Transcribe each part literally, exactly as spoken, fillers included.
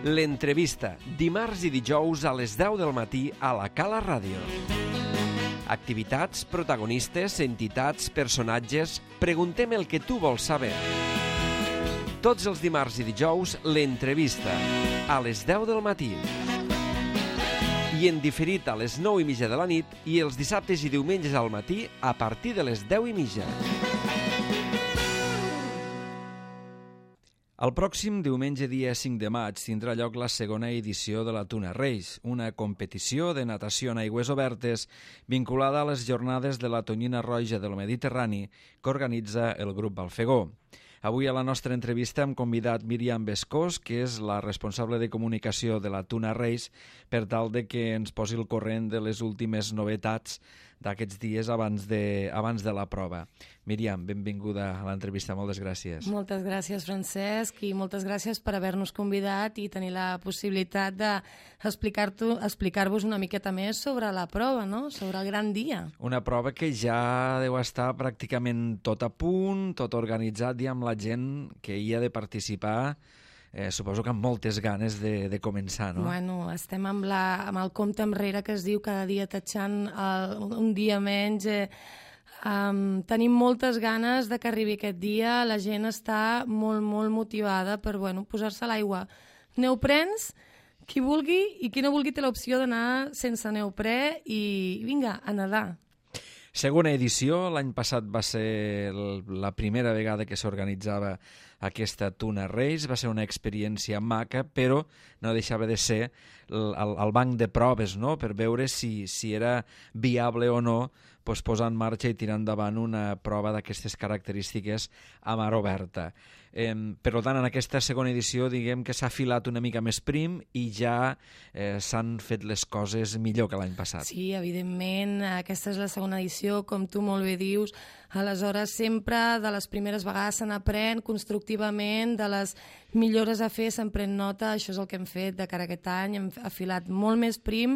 L'entrevista, dimarts i dijous a les deu del matí a la Cala Ràdio. Activitats, protagonistes, entitats, personatges... Preguntem el que tu vols saber. Tots els dimarts i dijous, l'entrevista, a les deu del matí. I en diferit a les nou i mitja de la nit i els dissabtes i diumenges al matí a partir de les deu i mitja. El pròxim diumenge dia cinc de maig tindrà lloc la segona edició de la Tuna Reis, una competició de natació en aigües obertes vinculada a les jornades de la tonyina roja del Mediterrani que organitza el grup Balfegó. Avui a la nostra entrevista hem convidat Míriam Bescós, que és la responsable de comunicació de la Tuna Reis, per tal de que ens posi al corrent de les últimes novetats d'aquests dies abans de, abans de la prova. Míriam, benvinguda a l'entrevista, moltes gràcies. Moltes gràcies, Francesc, i moltes gràcies per haver-nos convidat i tenir la possibilitat d'explicar-vos explicar una miqueta més sobre la prova, no? Sobre el gran dia. Una prova que ja deu estar pràcticament tot a punt, tot organitzat, i amb la gent que hi ha de participar, eh, suposo que amb moltes ganes de, de començar, no? Bueno, estem amb, la, amb el compte enrere que es diu cada dia tatxant el, un dia menys. Eh, um, tenim moltes ganes de que arribi aquest dia. La gent està molt, molt motivada per bueno, posar-se a l'aigua. Neoprens, qui vulgui, i qui no vulgui té l'opció d'anar sense neoprè i vinga, a nedar. Segona edició, l'any passat va ser la primera vegada que s'organitzava aquesta Tuna Reis, va ser una experiència maca, però no deixava de ser el, el banc de proves, no?, per veure si, si era viable o no pues, posar en marxa i tirar endavant una prova d'aquestes característiques a mar oberta. Eh, per tant, en aquesta segona edició diguem que s'ha filat una mica més prim i ja eh, s'han fet les coses millor que l'any passat. Sí, evidentment, aquesta és la segona edició, com tu molt bé dius. Aleshores, sempre de les primeres vegades se n'aprèn constructivament, de les millores a fer se'n pren nota, això és el que hem fet de cara a aquest any, hem afilat molt més prim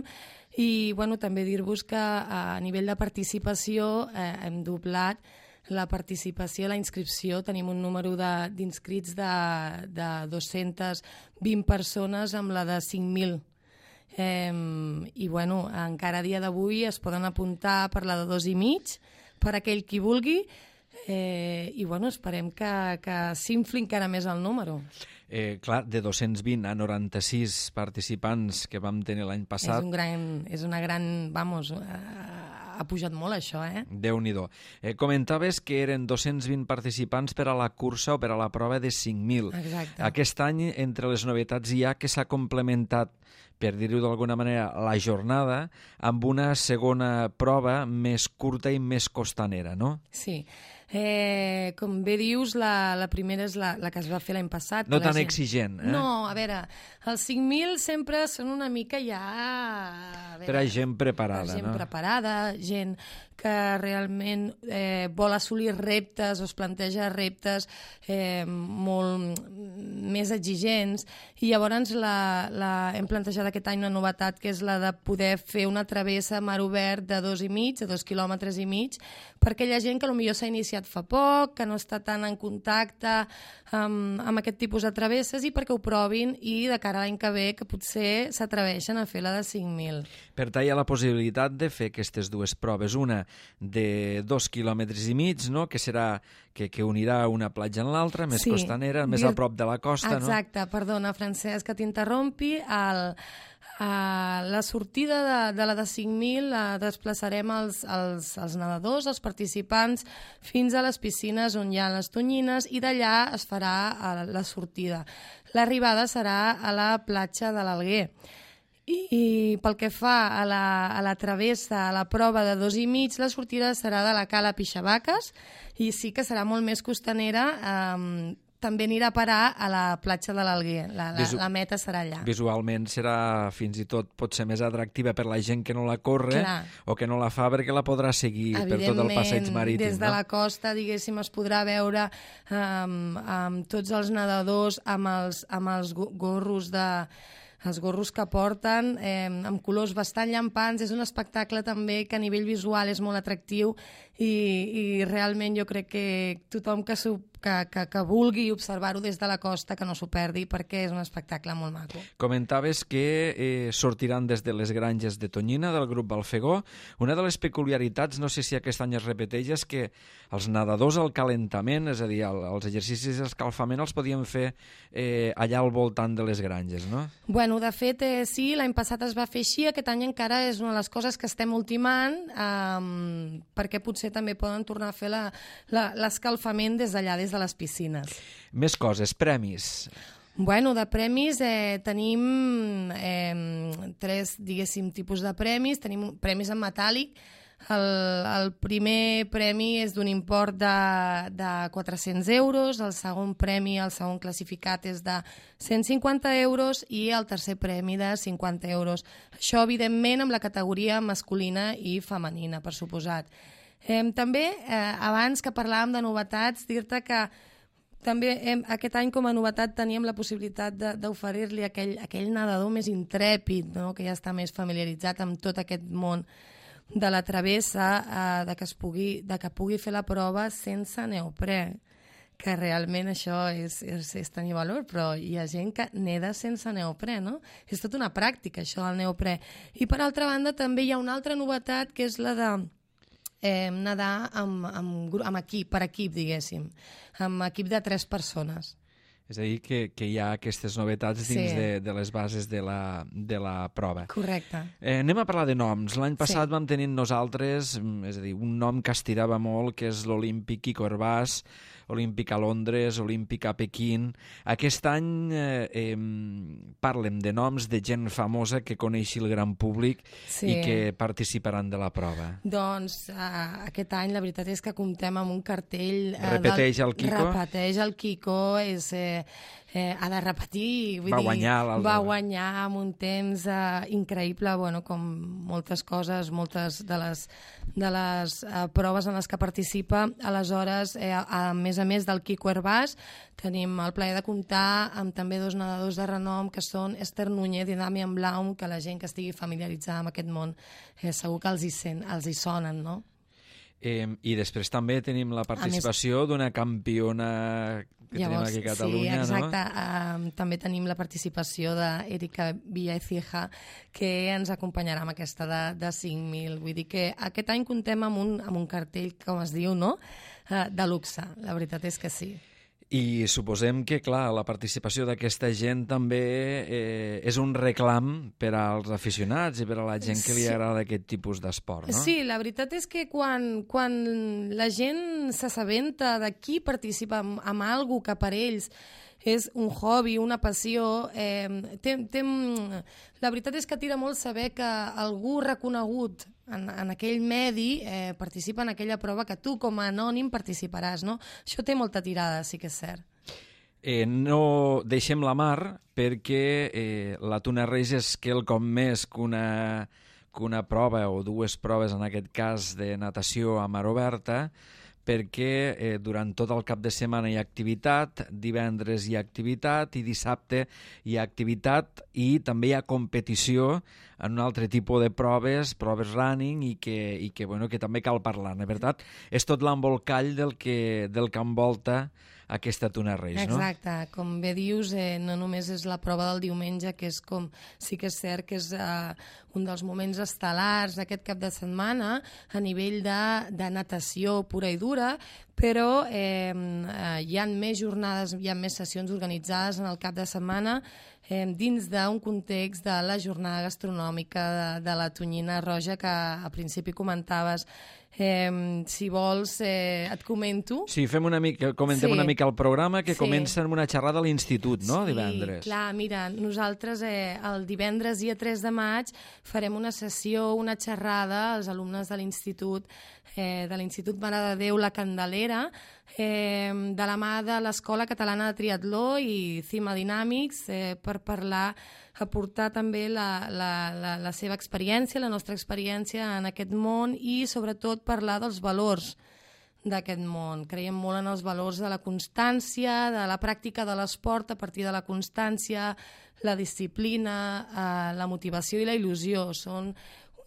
i bueno, també dir-vos que a nivell de participació eh, hem doblat la participació, la inscripció, tenim un número d'inscrits de, de, de dos-centes vint persones amb la de cinc mil. Eh, I bueno, encara a dia d'avui es poden apuntar per la de dos i mig, per aquell qui vulgui, eh, i bueno, esperem que, que s'infli encara més el número. Eh, clar, de dos-cents vint a noranta-sis participants que vam tenir l'any passat... És, un gran, és una gran... Vamos, eh, ha pujat molt això, eh? Déu-n'hi-do. Eh, comentaves que eren dos-cents vint participants per a la cursa o per a la prova de cinc mil. Exacte. Aquest any, entre les novetats, hi ha que s'ha complementat, per dir-ho d'alguna manera, la jornada amb una segona prova més curta i més costanera, no? Sí. Eh, com bé dius, la, la primera és la, la que es va fer l'any passat. No tan gent... exigent, eh? No, a veure, els cinc mil sempre són una mica ja... A veure, per a gent preparada, per gent no? preparada, gent que realment eh, vol assolir reptes o es planteja reptes eh, molt més exigents, i llavors la, la, hem plantejat aquest any una novetat que és la de poder fer una travessa a mar obert de dos i mig, de dos quilòmetres i mig, per aquella gent que potser s'ha iniciat fa poc, que no està tan en contacte amb, amb aquest tipus de travesses, i perquè ho provin i de cara a l'any que ve que potser s'atreveixen a fer la de cinc mil. Per tant, hi ha la possibilitat de fer aquestes dues proves, una de dos quilòmetres i mig, no?, que serà que, que unirà una platja en l'altra, més sí, costanera, més dir... a prop de la costa, exacte, no? Exacte, perdona, Francesc, que t'interrompi. El, uh, la sortida de, de la de cinc mil la desplaçarem els, els, els nedadors, els participants, fins a les piscines on hi ha les tonyines, i d'allà es farà uh, la sortida. L'arribada serà a la platja de l'Alguer. I, I pel que fa a la, a la travessa, a la prova de dos i mig, la sortida serà de la Cala Pixabaques, i sí que serà molt més costanera, eh, també anirà a parar a la platja de l'Alguer, la, la, Visu... la meta serà allà. Visualment serà fins i tot pot ser més atractiva per la gent que no la corre. Clar. O que no la fa perquè la podrà seguir per tot el passeig marítim. Des de no? la costa, diguéssim, es podrà veure um, amb tots els nedadors, amb els, amb els gorros de... els gorros que porten, eh, amb colors bastant llampants. És un espectacle també que a nivell visual és molt atractiu i, i realment jo crec que tothom que, que, que, que vulgui observar-ho des de la costa que no s'ho perdi, perquè és un espectacle molt maco. Comentaves que eh, sortiran des de les granges de Tonyina, del grup Balfegó. Una de les peculiaritats, no sé si aquest any es repeteix, és que els nedadors al calentament, és a dir, el, els exercicis d'escalfament els podien fer eh, allà al voltant de les granges, no? Bueno, de fet, eh, sí, l'any passat es va fer així, aquest any encara és una de les coses que estem ultimant, eh, perquè potser també poden tornar a fer l'escalfament des d'allà, des de les piscines. Més coses, premis. Bueno, de premis eh, tenim eh, tres, diguéssim, tipus de premis. Tenim premis en metàl·lic. El, el primer premi és d'un import de, de quatre-cents euros, el segon premi, el segon classificat és de cent cinquanta euros i el tercer premi de cinquanta euros. Això, evidentment, amb la categoria masculina i femenina, per suposat. Eh, també, eh, abans que parlàvem de novetats, dir-te que també hem, aquest any com a novetat teníem la possibilitat d'oferir-li aquell, aquell nedador més intrèpid, no? Que ja està més familiaritzat amb tot aquest món de la travessa, eh, de, que es pugui, de que pugui fer la prova sense neoprè, que realment això és, és, és tenir valor, però hi ha gent que neda sense neoprè, no? És tota una pràctica, això del neoprè. I per altra banda també hi ha una altra novetat, que és la de eh, nedar amb, amb, amb equip, per equip, diguéssim, amb equip de tres persones. És a dir, que, que hi ha aquestes novetats dins sí. de, de les bases de la, de la prova. Correcte. Eh, anem a parlar de noms. L'any passat sí. vam tenir nosaltres, és a dir, un nom que estirava molt, que és l'Olímpic Quico Hervás, Olímpic a Londres, Olímpic a Pequín. Aquest any eh, eh, parlem de noms de gent famosa que coneixi el gran públic sí. i que participaran de la prova. Doncs uh, aquest any la veritat és que comptem amb un cartell... Uh, repeteix del... el Quico? Repeteix el Quico, és... Eh, eh, ha de repetir, vull va dir, guanyar va guanyar amb un temps eh, increïble, bueno, com moltes coses, moltes de les, de les eh, proves en les que participa. Aleshores, eh, a més a més del Quico Hervás, tenim el plaer de comptar amb també dos nedadors de renom, que són Esther Núñez i Damian Blaum, que la gent que estigui familiaritzada amb aquest món eh, segur que els hi, sent, els hi sonen, no? Eh, I després també tenim la participació més... d'una campiona que Llavors, tenim aquí a Catalunya, sí, exacte. no? Uh, també tenim la participació d'Erika Villaecija, que ens acompanyarà amb aquesta de, de cinc mil. Vull dir que aquest any comptem amb un, amb un cartell, com es diu, no? Uh, de luxe. La veritat és que sí. I suposem que, clar, la participació d'aquesta gent també eh, és un reclam per als aficionats i per a la gent que li agrada aquest tipus d'esport, no? Sí, la veritat és que quan, quan la gent s'assabenta de qui participa en, en alguna que per ells és un hobby, una passió, eh, té, té, la veritat és que tira molt saber que algú reconegut en, en aquell medi eh, participa en aquella prova que tu com a anònim participaràs, no? Això té molta tirada, sí que és cert. Eh, no deixem la mar perquè eh, la Tuna Reis és quelcom més que una, que una prova o dues proves, en aquest cas de natació a mar oberta, perquè eh, durant tot el cap de setmana hi ha activitat, divendres hi ha activitat i dissabte hi ha activitat i també hi ha competició en un altre tipus de proves, proves running i que, i que, bueno, que també cal parlar-ne. Per tant, és tot l'embolcall del que, del que envolta aquesta Tuna Reis, no? Exacte, com bé dius, eh, no només és la prova del diumenge, que és com, sí que és cert que és eh, un dels moments estel·lars d'aquest cap de setmana a nivell de, de natació pura i dura, però eh, eh, hi ha més jornades, hi ha més sessions organitzades en el cap de setmana eh, dins d'un context de la jornada gastronòmica de, de la Tonyina Roja que a principi comentaves. Eh, si vols, eh, et comento. Sí, fem una mica, comentem sí. una mica el programa, que sí. comença amb una xerrada a l'institut, no?, sí, divendres. Clar, mira, nosaltres eh, el divendres dia tres de maig farem una sessió, una xerrada als alumnes de l'institut, eh, de l'Institut Mare de Déu La Candelera, eh, de la mà de l'Escola Catalana de Triatló i Cima Dinàmics, eh, per parlar, aportar també la, la, la, la seva experiència, la nostra experiència en aquest món i sobretot parlar dels valors d'aquest món. Creiem molt en els valors de la constància, de la pràctica de l'esport a partir de la constància, la disciplina, eh, la motivació i la il·lusió. Són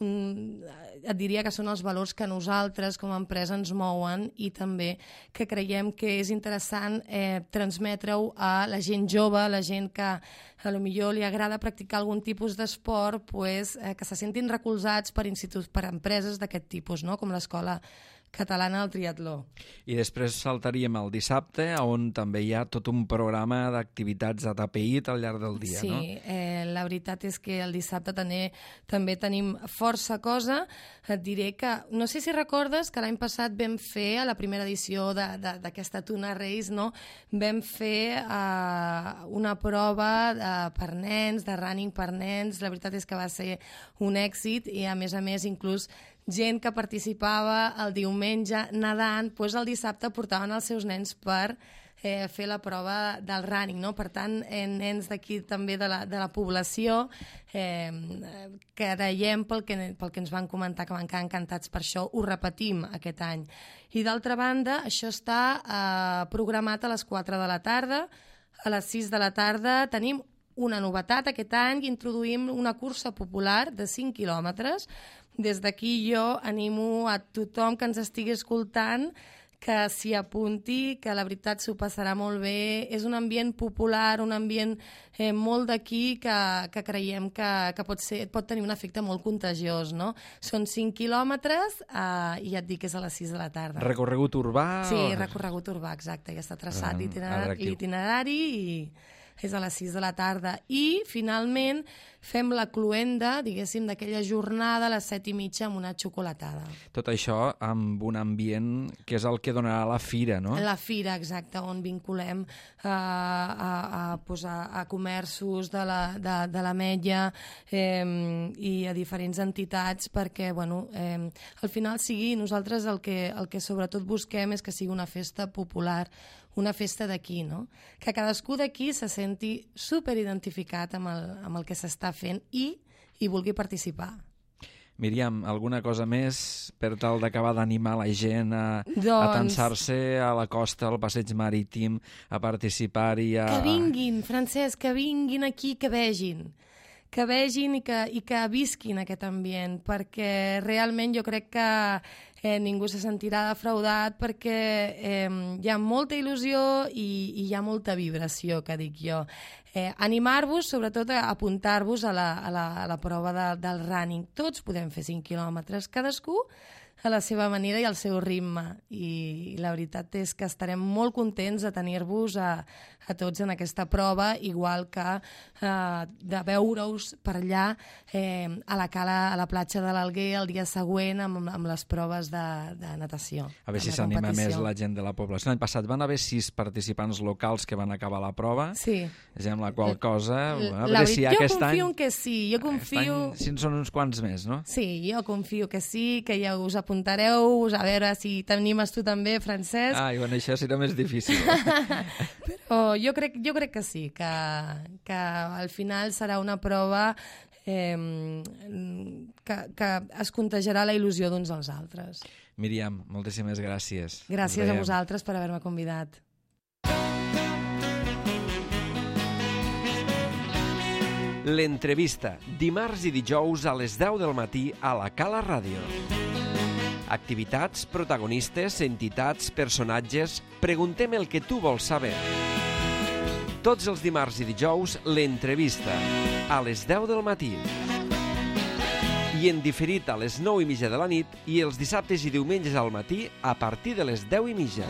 un, et diria que són els valors que nosaltres com a empresa ens mouen i també que creiem que és interessant eh, transmetre-ho a la gent jove, a la gent que a lo millor li agrada practicar algun tipus d'esport, pues, eh, que se sentin recolzats per instituts, per empreses d'aquest tipus, no? Com l'Escola Catalana del Triatló. I després saltaríem al dissabte, on també hi ha tot un programa d'activitats atapeït al llarg del dia, sí, no? Sí, eh, la veritat és que el dissabte també, també tenim força cosa. Et diré que, no sé si recordes que l'any passat vam fer, a la primera edició d'aquesta Tuna Race, no? Vam fer eh, una prova de, per nens, de running per nens. La veritat és que va ser un èxit i, a més a més, inclús gent que participava el diumenge nedant, doncs el dissabte portaven els seus nens per eh, fer la prova del running, no? Per tant, eh, nens d'aquí també de la, de la població eh, que creiem pel que, pel que ens van comentar que van quedar encantats per això, ho repetim aquest any. I d'altra banda, això està eh, programat a les quatre de la tarda, a les sis de la tarda tenim una novetat aquest any, introduïm una cursa popular de cinc quilòmetres. Des d'aquí jo animo a tothom que ens estigui escoltant que s'hi apunti, que la veritat s'ho passarà molt bé. És un ambient popular, un ambient eh, molt d'aquí que, que creiem que, que pot, ser, pot tenir un efecte molt contagiós, no? Són cinc quilòmetres eh, i ja et dic que és a les sis de la tarda. Recorregut urbà? Sí, o... recorregut urbà, exacte. Ja està traçat Ah, l'itinerari i és a les sis de la tarda. I, finalment, fem la cluenda, diguéssim, d'aquella jornada a les set i mitja amb una xocolatada. Tot això amb un ambient que és el que donarà la fira, no? La fira, exacte, on vinculem a, a, a, pues a, a comerços de la, de, de l'Ametlla eh, i a diferents entitats perquè, bueno, eh, al final sigui, nosaltres el que, el que sobretot busquem és que sigui una festa popular, una festa d'aquí, no? Que cadascú d'aquí se senti superidentificat amb el, amb el que s'està fent i hi vulgui participar. Míriam, alguna cosa més per tal d'acabar d'animar la gent a, doncs... a tensar-se a la costa, al passeig marítim, a participar-hi? A... Que vinguin, Francesc, que vinguin aquí, que vegin. que vegin i que, i que visquin aquest ambient, perquè realment jo crec que eh, ningú se sentirà defraudat perquè eh, hi ha molta il·lusió i, i hi ha molta vibració, que dic jo. Eh, animar-vos, sobretot a apuntar-vos a, la, a, la, a la prova de, del running. Tots podem fer cinc quilòmetres, cadascú a la seva manera i al seu ritme. I la veritat és que estarem molt contents de tenir-vos a, a tots en aquesta prova, igual que eh, de veure-us per allà eh, a la cala, a la platja de l'Alguer el dia següent amb, amb les proves de, de natació. A veure si s'anima més la gent de la població. L'any passat van haver sis participants locals que van acabar la prova. Sí. És amb la qual cosa... A veure si jo aquest confio any, en que sí. Jo confio... Any, si en són uns quants més, no? Sí, jo confio que sí, que ja us apuntareu, a veure si t'animes tu també, Francesc. Ah, i bueno, això serà més difícil. Però jo crec, jo crec que sí, que, que al final serà una prova eh, que, que es contagiarà la il·lusió d'uns als altres. Míriam, moltíssimes gràcies. Gràcies a vosaltres per haver-me convidat. L'entrevista, dimarts i dijous a les deu del matí a la Cala Ràdio. Activitats, protagonistes, entitats, personatges... Preguntem el que tu vols saber. Tots els dimarts i dijous, l'entrevista, a les deu del matí. I en diferit a les nou i mitja de la nit i els dissabtes i diumenges al matí a partir de les deu i mitja.